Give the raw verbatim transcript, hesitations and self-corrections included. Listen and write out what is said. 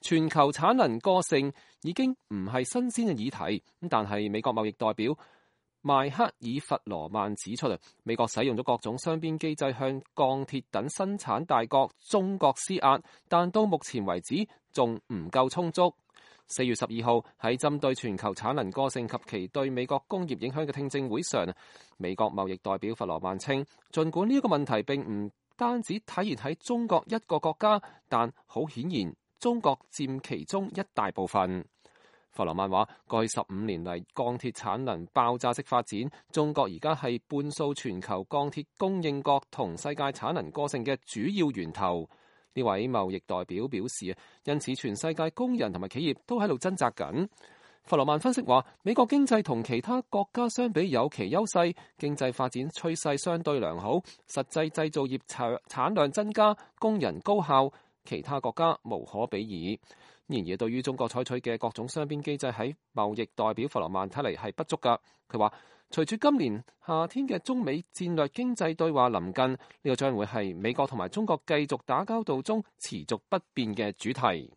全球產能過剩已經唔係新鮮嘅議題，但係美國貿易代表邁克爾弗羅曼指出，美國使用咗各種雙邊機制向鋼鐵等生產大國中國施壓，但到目前為止仲唔夠充足。四月十二號喺針對全球產能過剩及其對美國工業影響嘅聽證會上，美國貿易代表弗羅曼稱，儘管呢一個問題並唔單止體現喺中國一個國家，但好顯然中國佔其中一大部分。弗羅曼話：過去十五年嚟，鋼鐵產能爆炸式發展，中國而家係半數全球鋼鐵供應國同世界產能過剩嘅主要源頭。呢位貿易代表表示，因此全世界工人同埋企業都喺度掙扎緊。弗羅曼分析話，美國經濟同其他國家相比有其優勢，經濟發展趨勢相對良好，實際製造業產產量增加，工人高效，其他國家無可比擬。然而，對於中國採取嘅各種雙邊機制，喺貿易代表弗羅曼睇嚟係不足㗎。佢話，隨住今年夏天嘅中美戰略經濟對話臨近，呢個將會係美國同埋中國繼續打交道中持續不變嘅主題。